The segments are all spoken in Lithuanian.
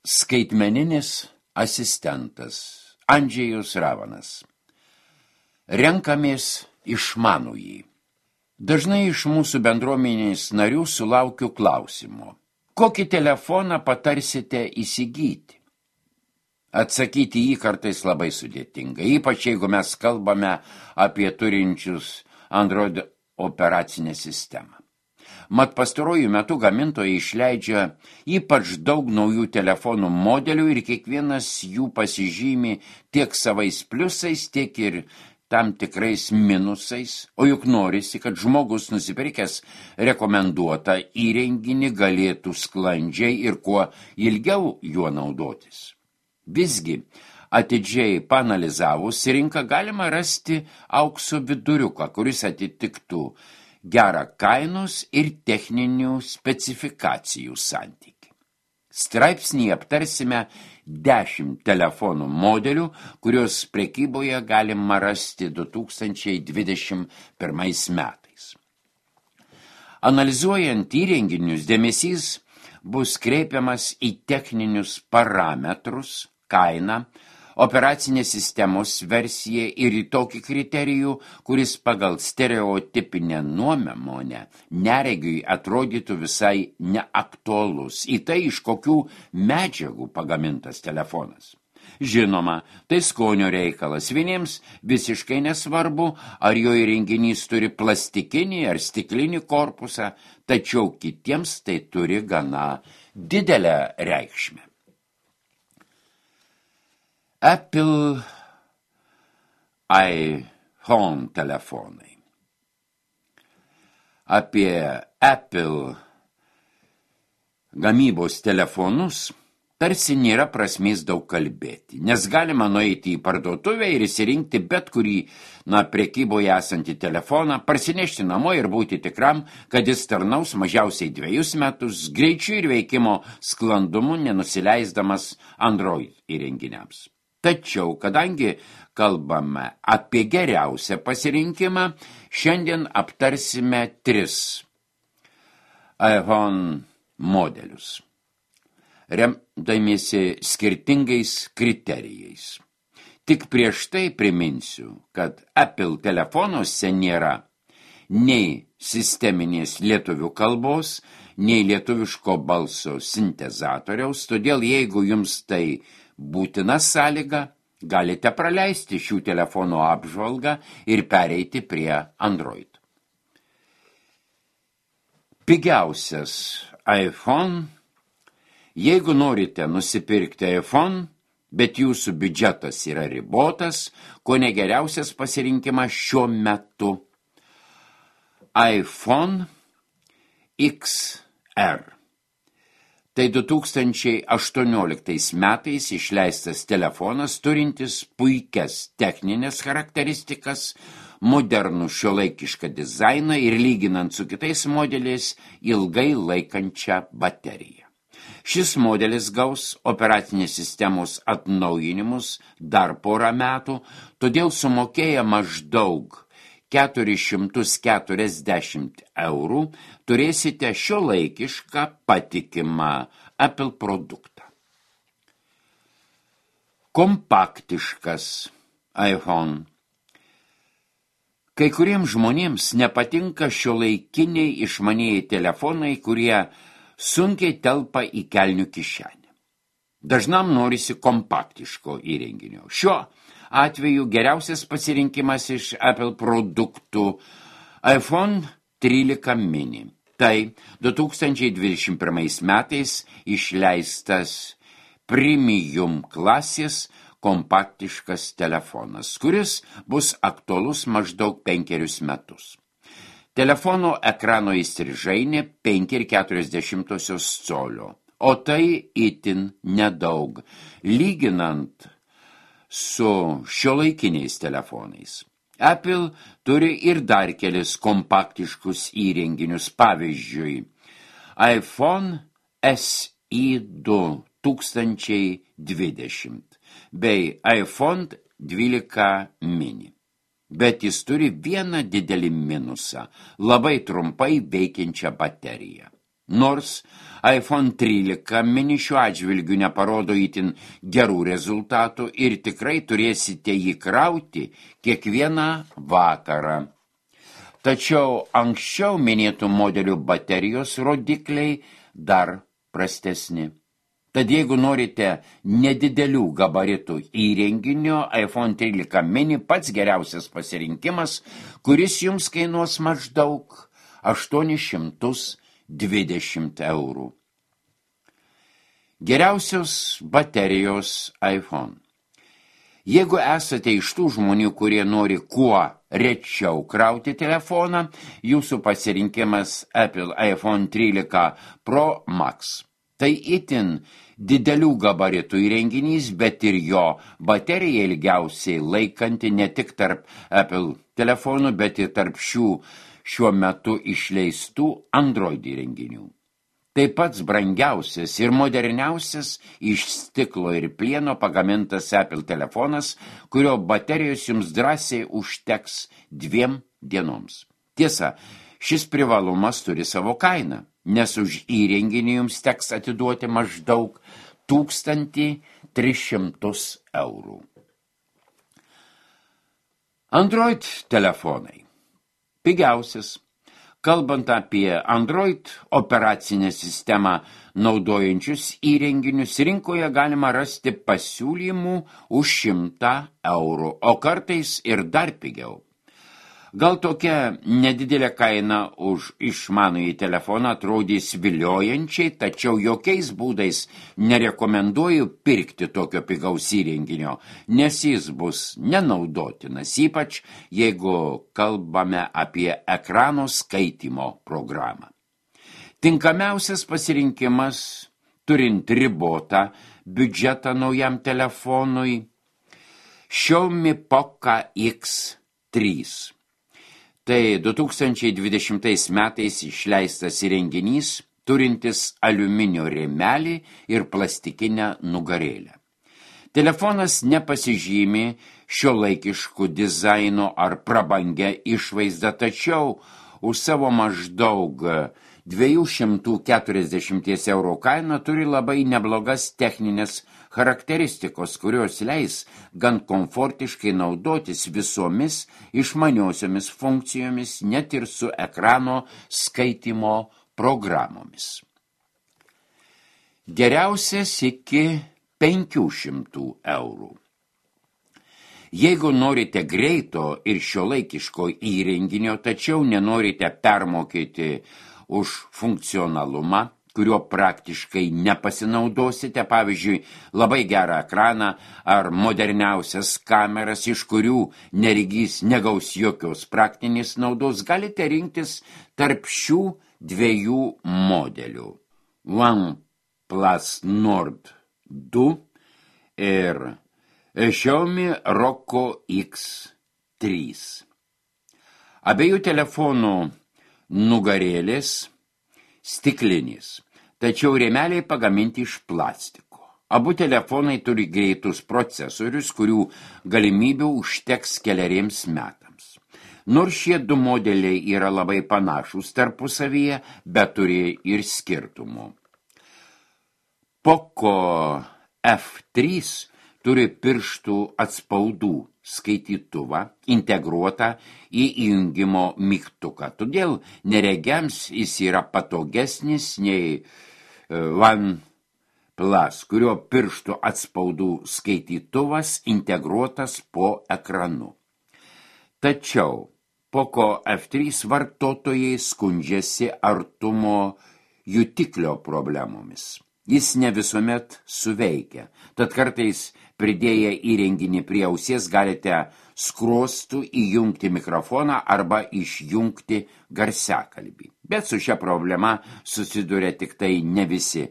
Skaitmeninis asistentas Andžejus Ravanas. Renkamės išmanųjį. Dažnai iš mūsų bendruomenės narių sulaukiu klausimo. Kokį telefoną patarsite įsigyti? Atsakyti jį kartais labai sudėtinga, ypač jeigu mes kalbame apie turinčius Android operacinę sistemą. Mat pastaruoju metu gamintojai išleidžia ypač daug naujų telefonų modelių ir kiekvienas jų pasižymi tiek savais pliusais, tiek ir tam tikrais minusais, o juk norisi, kad žmogus nusipirkęs rekomenduotą įrenginį galėtų sklandžiai ir kuo ilgiau juo naudotis. Visgi, atidžiai paanalizavus rinką galima rasti aukso viduriuką, kuris atitiktų gerą kainos ir techninių specifikacijų santykį. Straipsnį aptarsime 10 telefonų modelių, kurios prekyboje galima rasti 2021 metais. Analizuojant įrenginius, dėmesys bus kreipiamas į techninius parametrus, kainą, operacinės sistemos versiją ir į tokį kriterijų, kuris pagal stereotipinę nuomonę neregiui atrodytų visai neaktualus, į tai, iš kokių medžiagų pagamintas telefonas. Žinoma, tai skonio reikalas. Vieniems visiškai nesvarbu, ar jo įrenginys turi plastikinį ar stiklinį korpusą, tačiau kitiems tai turi gana didelę reikšmę. Apple iPhone telefonai. Apie Apple gamybos telefonus tarsi nėra prasmės daug kalbėti, nes galima nueiti į parduotuvę ir įsirinkti bet kurį prekyboje esantį telefoną, parsinešti namo ir būti tikram, kad jis tarnaus mažiausiai 2 metus, greičiu ir veikimo sklandumu nenusileisdamas Android įrenginiams. Tačiau, kadangi kalbame apie geriausią pasirinkimą, šiandien aptarsime 3 iPhone modelius, remdamiesi skirtingais kriterijais. Tik prieš tai priminsiu, kad Apple telefonuose nėra nei sisteminės lietuvių kalbos, nei lietuviško balso sintezatoriaus, todėl jeigu jums tai būtina sąlyga, galite praleisti šių telefonų apžvalgą ir pereiti prie Android. Pigiausias iPhone. Jeigu norite nusipirkti iPhone, bet jūsų biudžetas yra ribotas, kone geriausias pasirinkimas šiuo metu iPhone XR. Tai 2018 metais išleistas telefonas, turintis puikias techninės charakteristikas, modernų šiuolaikišką dizainą ir lyginant su kitais modeliais ilgai laikančią bateriją. Šis modelis gaus operacinės sistemos atnaujinimus dar porą metų, todėl sumokėję maždaug 440 eurų turėsite šiuolaikišką patikimą Apple produktą. Kompaktiškas iPhone. Kai kuriems žmonėms nepatinka šiuolaikiniai išmanieji telefonai, kurie sunkiai telpa į kelnių kišenę. Dažnam norisi kompaktiško įrenginio. Šiuo atveju geriausias pasirinkimas iš Apple produktų iPhone 13 mini. Tai 2021 metais išleistas premium klasės kompaktiškas telefonas, kuris bus aktualus maždaug 5 metus. Telefono ekrano įstrižainė 5,4 colio, o tai itin nedaug, lyginant su šiuolaikiniais telefonais. Apple turi ir dar kelis kompaktiškus įrenginius, pavyzdžiui, iPhone SE 2020 bei iPhone 12 mini. Bet jis turi vieną didelį minusą – labai trumpai veikiančią bateriją. Nors iPhone 13 mini šiuo atžvilgiu neparodo itin gerų rezultatų ir tikrai turėsite jį krauti kiekvieną vakarą. Tačiau anksčiau minėtų modelių baterijos rodikliai dar prastesni. Tad jeigu norite nedidelių gabaritų įrenginio, iPhone 13 mini pats geriausias pasirinkimas, kuris jums kainuos maždaug 820 eurų. Geriausios baterijos iPhone. Jeigu esate iš tų žmonių, kurie nori kuo rečiau krauti telefoną, jūsų pasirinkimas Apple iPhone 13 Pro Max. Tai itin didelių gabaritų įrenginys, bet ir jo baterija ilgiausiai laikanti ne tik tarp Apple telefonų, bet ir tarp šiuo metu išleistų Android įrenginių. Tai pats brangiausias ir moderniausias iš stiklo ir plieno pagamintas Apple telefonas, kurio baterijos jums drąsiai užteks 2 dienoms. Tiesa, šis privalumas turi savo kainą, nes už įrenginį jums teks atiduoti maždaug 1300 eurų. Android telefonai. Pigiausias. Kalbant apie Android operacinę sistemą naudojančius įrenginius, rinkoje galima rasti pasiūlymų už 100 eurų, o kartais ir dar pigiau. Gal tokia nedidelė kaina už išmanųjį telefoną atrodys viliojančiai, tačiau jokiais būdais nerekomenduoju pirkti tokio pigaus įrenginio, nes jis bus nenaudotinas, ypač jeigu kalbame apie ekrano skaitymo programą. Tinkamiausias pasirinkimas, turint ribotą biudžetą naujam telefonui, Xiaomi Poco X3. Tai 2020 metais išleistas įrenginys, turintis aliuminio rėmelį ir plastikinę nugarėlę. Telefonas nepasižymi šiuolaikišku dizainu ar prabangę išvaizdą, tačiau už savo maždaug 240 eurų kainą turi labai neblogas techninės charakteristikos, kurios leis gan komfortiškai naudotis visomis išmaniosiomis funkcijomis, net ir su ekrano skaitymo programomis. Geriausias iki 500 eurų. Jeigu norite greito ir šiuolaikiško įrenginio, tačiau nenorite permokėti už funkcionalumą, kurio praktiškai nepasinaudosite, pavyzdžiui, labai gerą ekraną ar moderniausias kameras, iš kurių neregys negaus jokios praktinės naudos, galite rinktis tarp šių 2 modelių. OnePlus Nord 2 ir Xiaomi Poco X3. Abiejų telefonų nugarėlės stiklinės, tačiau rėmeliai pagaminti iš plastiko. Abu telefonai turi greitus procesorius, kurių galimybių užteks keleriems metams. Nors šie 2 modeliai yra labai panašūs tarpusavyje, bet turi ir skirtumų. Poco F3 turi pirštų atspaudų skaitytuvą integruotą į įjungimo mygtuką. Todėl neregiams jis yra patogesnis nei OnePlus, kurio pirštų atspaudų skaitytuvas integruotas po ekranu. Tačiau Poco F3 vartotojai skundžiasi artumo jutiklio problemomis. Jis ne visuomet suveikia, tad kartais pridėję įrenginį prie ausies galite skruostų įjungti mikrofoną arba išjungti garsiakalbį. Bet su šia problema susiduria tik tai ne visi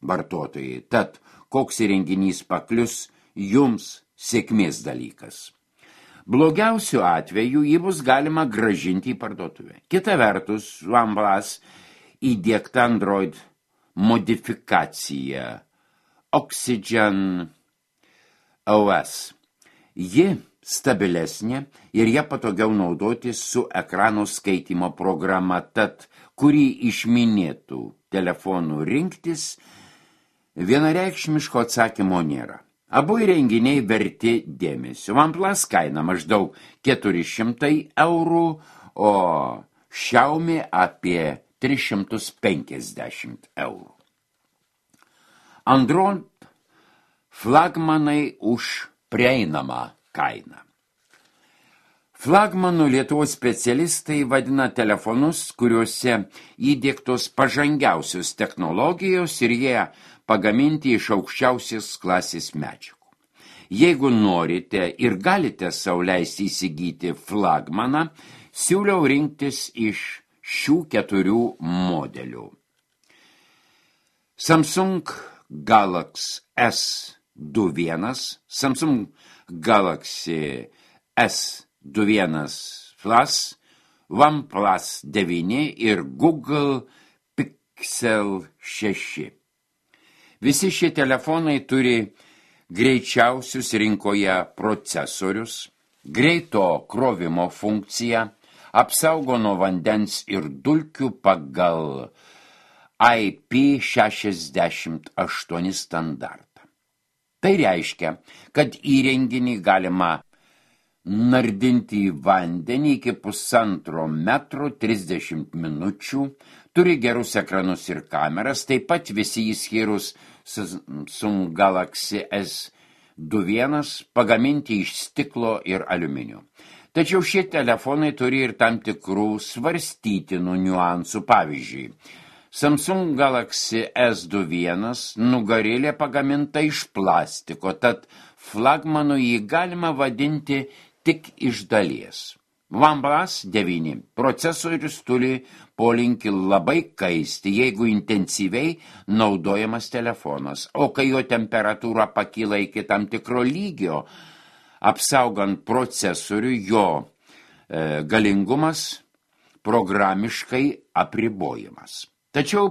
vartotojai, tad koks įrenginys paklius jums sėkmės dalykas. Blogiausiu atveju jį bus galima grąžinti į parduotuvę. Kita vertus, OnePlus įdiegta Android modifikacija Oxygen OS. Ji stabilesnė ir ją patogiau naudoti su ekrano skaitymo programa, tad kurį iš minėtų telefonų rinktis, vienareikšmiško atsakymo nėra. Abu įrenginiai verti dėmesio. OnePlus kaina maždaug 400 eurų, o Xiaomi apie 350 eurų. Android flagmanai už prieinamą kainą. Flagmanų Lietuvos specialistai vadina telefonus, kuriuose įdiegtos pažangiausios technologijos ir jie pagaminti iš aukščiausios klasės medžiagų. Jeigu norite ir galite sau leisti įsigyti flagmaną, siūliau rinktis iš šių 4 modelių. Samsung Galaxy S21, Samsung Galaxy S21 Plus, OnePlus 9 ir Google Pixel 6. Visi šie telefonai turi greičiausius rinkoje procesorius, greito krovimo funkciją, apsaugo nuo vandens ir dulkių pagal IP68 standartą. Tai reiškia, kad įrenginį galima nardinti į vandenį iki 1,5 metro 30 minučių, turi gerus ekranus ir kameras, taip pat visi įskyrus Samsung Galaxy S21 pagaminti iš stiklo ir aliuminio. Tačiau šie telefonai turi ir tam tikrų svarstytinų niuansų. Pavyzdžiui, Samsung Galaxy S21 nugarėlė pagaminta iš plastiko, tad flagmanu jį galima vadinti tik iš dalies. OnePlus 9 procesorius turi polinkį labai kaisti, jeigu intensyviai naudojamas telefonas, o kai jo temperatūra pakyla iki tam tikro lygio, apsaugant procesorių, jo galingumas programiškai apribojimas. Tačiau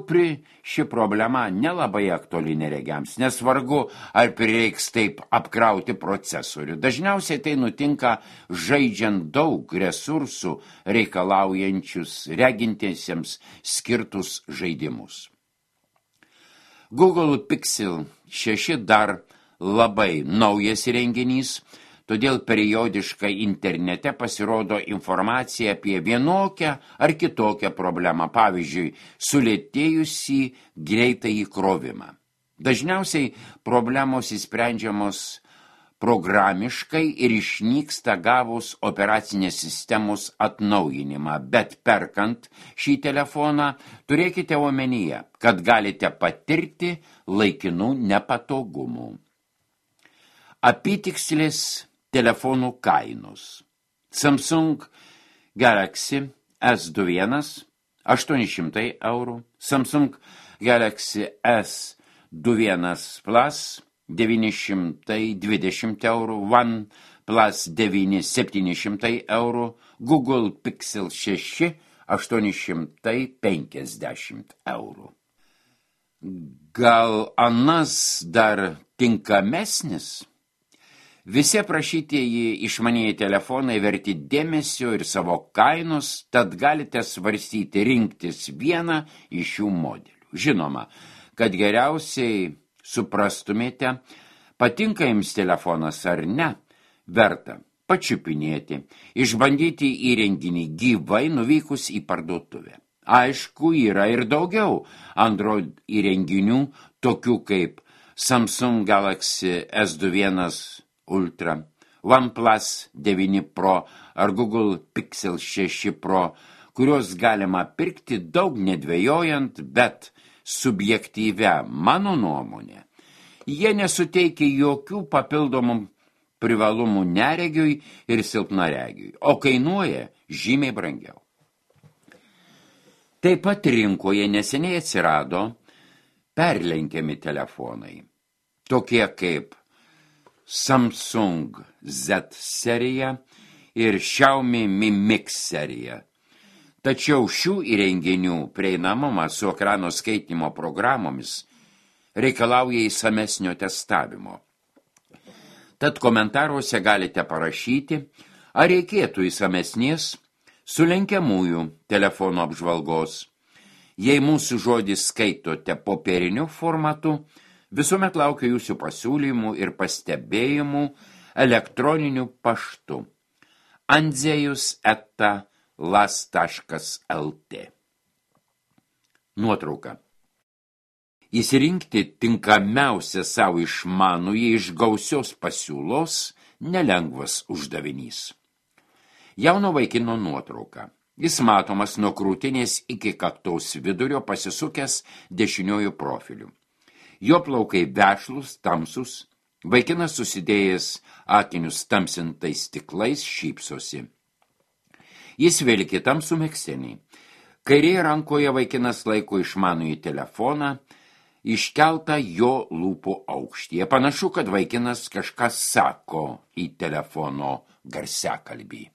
ši problema nelabai aktuali neregiams, nes vargu ar prireiks taip apkrauti procesorių. Dažniausiai tai nutinka žaidžiant daug resursų reikalaujančius regintiesiems skirtus žaidimus. Google Pixel 6 dar labai naujas įrenginys, todėl periodiškai internete pasirodo informacija apie vienokią ar kitokią problemą, pavyzdžiui, sulėtėjusį greitą įkrovimą. Dažniausiai problemos įsprendžiamos programiškai ir išnyksta gavus operacinės sistemos atnaujinimą, bet perkant šį telefoną turėkite omenyje, kad galite patirti laikinų nepatogumų. Apytikslis telefonų kainos. Samsung Galaxy S21 800 eurų, Samsung Galaxy S21 Plus 920 eurų, OnePlus 9 700 eurų, Google Pixel 6 850 eurų. Gal anas dar tinkamesnis? Visi aprašytieji išmanieji telefonai verti dėmesio ir savo kainos, tad galite svarstyti rinktis vieną iš šių modelių. Žinoma, kad geriausiai suprastumėte, patinka jums telefonas ar ne, verta pačiupinėti, išbandyti įrenginį gyvai nuvykus į parduotuvę. Aišku, yra ir daugiau Android įrenginių, tokių kaip Samsung Galaxy S21 Ultra, OnePlus 9 Pro ar Google Pixel 6 Pro, kuriuos galima pirkti daug nedvejojant, bet subjektyvia mano nuomonė. Jie nesuteikia jokių papildomų privalumų neregiui ir silpnaregiui, o kainuoja žymiai brangiau. Taip pat rinkoje neseniai atsirado perlenkiami telefonai, tokie kaip Samsung Z serija ir Xiaomi Mi Mix serija. Tačiau šių įrenginių prieinamumas su ekrano skaitymo programomis reikalauja įsamesnio testavimo. Tad komentaruose galite parašyti, ar reikėtų įsamesnės sulenkiamųjų telefonų apžvalgos. Jei mūsų žodį skaitote popieriniu formatu, visuomet laukiu jūsų pasiūlymų ir pastebėjimų elektroniniu paštu andzejus@las.lt. Nuotrauka. Įsirinkti tinkamiausią savo išmanųjį iš gausios pasiūlos nelengvas uždavinys. Jauno vaikino nuotrauka. Jis matomas nuo krūtinės iki kaktaus vidurio pasisukęs dešiniuoju profiliu. Jo plaukai vešlus, tamsus, vaikinas susidėjęs akinius tamsintais stiklais šypsosi. Jis vilki tamsų megztinį. Kairėje rankoje vaikinas laiko išmanųjį telefoną, iškeltą jo lūpų aukštyje. Panašu, kad vaikinas kažką sako į telefono garsiakalbį.